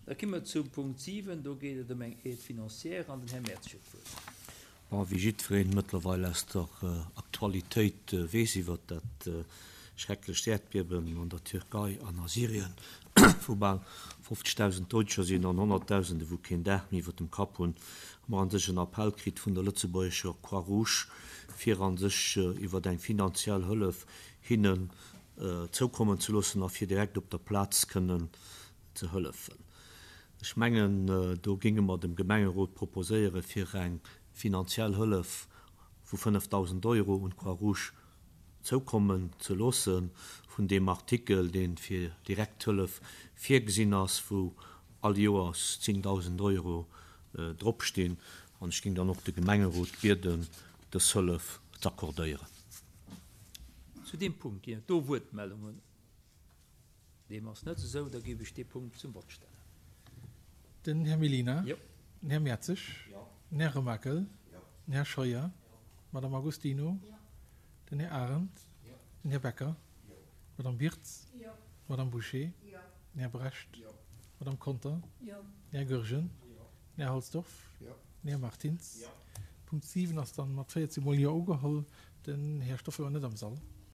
Da ki mer zum Punkt 7, do geet et ëm eng Aide financière an den Här Mertz huet d'Wuert. Bon, wéi jiddwereen mëttlerweil aus der Aktualitéit weess iwwert dat schrecklecht Äerdbiewen an der Türkei an a Syrien, wou bal 50.000 Doudescher sinn an Honnertdausende wou keen Daach méi iwwert dem Kapp hunn, hu mer an sech en Appell kritt vun der lëtzebuergescher Croix-Rouge, fir an sech iwwert eng finanziell Hëllef hinnen zoukommen ze loossen a fir direkt op der Plaz kënnen ze hëllefen. Ech mengen, do géinge mer dem Gemengerot proposéiere fir eng finanziell Hëllef vu 5.000 Euro un d'Croix-Rouge zoukommen ze loosse vun deem Artikel, dee fir direkt Hëllef virgesinn ass, wou all Joers 10.000 Euro dropstinn. An ech géing dann och de Gemengerot bieden, dës Hëllef z'accordéieren. Zu deem Punkt ginn et do Wuertmeldungen. Deem ass net esou, da géif ech dee Punkt zum Vott stellen. Den Här Mellina. Jo. Den Här Mertzig. Jo. Den Här Remakel. Jo. Den Här Scheuer. Jo. D'Madame Agostino. Jo. Den Här Arendt. Jo. Den Här Becker. Jo. D'Madame Wirtz. Jo. D'Madame Bouché. Jo. Den Här Brecht. Jo. D'Madame Conter. Jo. Den Här Goergen. Jo. Den Här Halsdorf. Jo. Den Här Martins. Jo. Punkt 7 ass dann mat 14 mol Jo ugeholl. Den Här Stoffel war net am Sall.